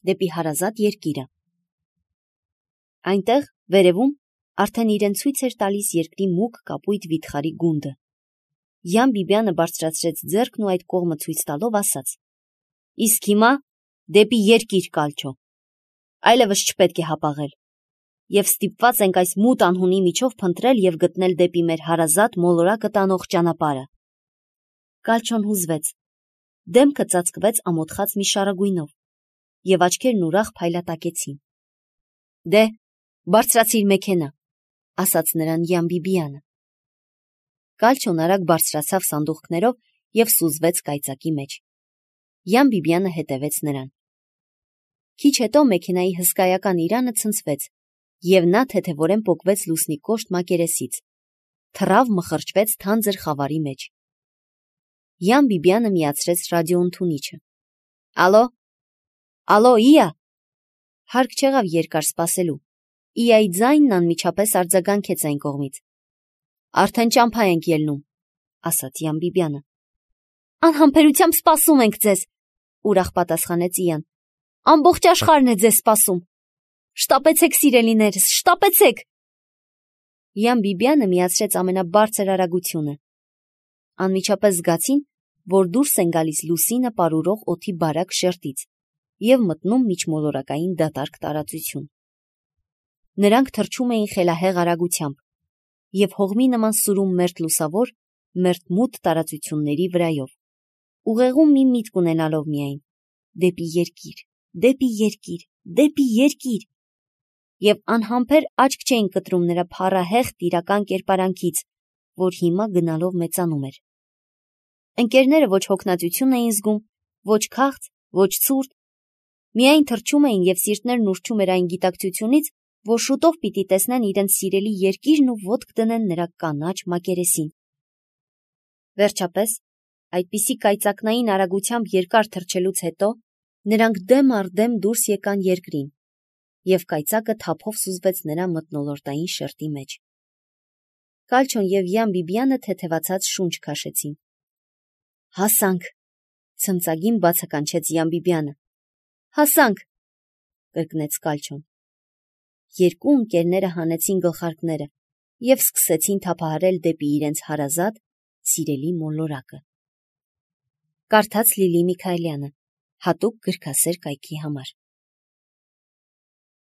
դեպի հարազատ երկիրը։ Այնտեղ, վերևում, արդեն իրեն ցույց էր տալիս երկրի մուգ կապույտ վիթխարի գունդը։ Յան Բիբյանը բարձրացրեց ձեռքն ու այդ կողմը ցույց տալով ասաց. «Իսկ հիմա դեպի երկիր, Կալչո, այլևս չպետք է հապաղել, և ստիպված ենք այս մութ անհունի միջով փնտրել և գտնել դեպի մեր հարազատ մոլորակը տանող ճանապարհը»։ Կալչոն հուզվեց, դեմքը ծածկվեց ամոթխած մի շարագույնով, և աչքերն ուրախ փայլատակեցին։ «Դե, բարձրացիր մեքենա», ասաց նրան Յան Բիբյանը։ Կալչոն արագ բարձրացավ սանդուղքներով և սուզվեց կայծակի մեջ։ Յան Բիբյանը հետևեց նրան։ Քիչ հետո մեքենայի հսկայական իրանը ցնցվեց, և նա թեթևորեն պոկվեց լուսնի կոշտ մակերեսից, թռավ մխրճվեց թանձր խավարի մեջ։ Յան Բիբյանը միացրեց ռադիոընդունիչը։ «Ալո, ալո, Իա»։ Հարկ չեղավ երկար սպասելու։ Իայի ձայնն անմիջապես արձագանքեց այն կողմից։ «Արդեն ճամփա ենք ելնում», ասաց Յան Բիբյանը։ «Անհամբերությամբ սպասում ենք ձեզ», ուրախ պատասխանեց Իան։ «Ամբողջ աշխարհն է ձեզ սպասում։ Շտապեցեք, սիրելիներս, շտապեցեք»։ Յան Բիբյանը միացրեց ամենաբարձր արագությունը։ Անմիջապես զգացին, որ դուրս են գալիս լուսինը պարուրող օդի բարակ շերտից և մտնում միջմոլորակային դատարկ տարածություն։ Նրանք թռչում էին խելահեղ արագությամբ և հողմի նման սուրում մերթ լուսավոր, մերթ մութ տարածությունների վրայով, ուղեղում մի միտք ունենալով միայն՝ դեպի երկիր, դեպի երկիր, դեպի երկիր, և անհամբեր աչք չէին կտրում նրա փառահեղ տիրական կերպարանքից, որ հիմա գնալով մեծանում էր։ Ընկերները ոչ հոգնածություն էին զգում, ոչ քաղց, ոչ ցուրտ, միայն թռչում էին և սիրտներն ուռչում էր այն գիտակցությունից, որ շուտով պիտի տեսնեն իրենց սիրելի երկիրն ու ոտք դնեն նրա կանաչ մակերեսին։ Վերջապես, այդպիսի կայծակնային արագությամբ երկար թռչելուց հետո, նրանք դեմ առ դեմ դուրս եկան երկրին, և կայծակը թափով սուզվեց նրա մթնոլորտային շերտի մեջ։ Կալչոն և Յան Բիբյանը թեթևացած շունչ քաշեցին։ «Հասանք», ցնծագին բացականչեց Յան Բիբյանը։ «Հասանք», կրկնեց Կալչոն։ Երկու ընկերները հանեցին գլխարկները և սկսեցին թափահարել դեպի իրենց հարազատ, սիրելի մոլորակը։ Կարդաց Լիլի Միքայելյանը, հատուկ գրքասեր կայքի համար։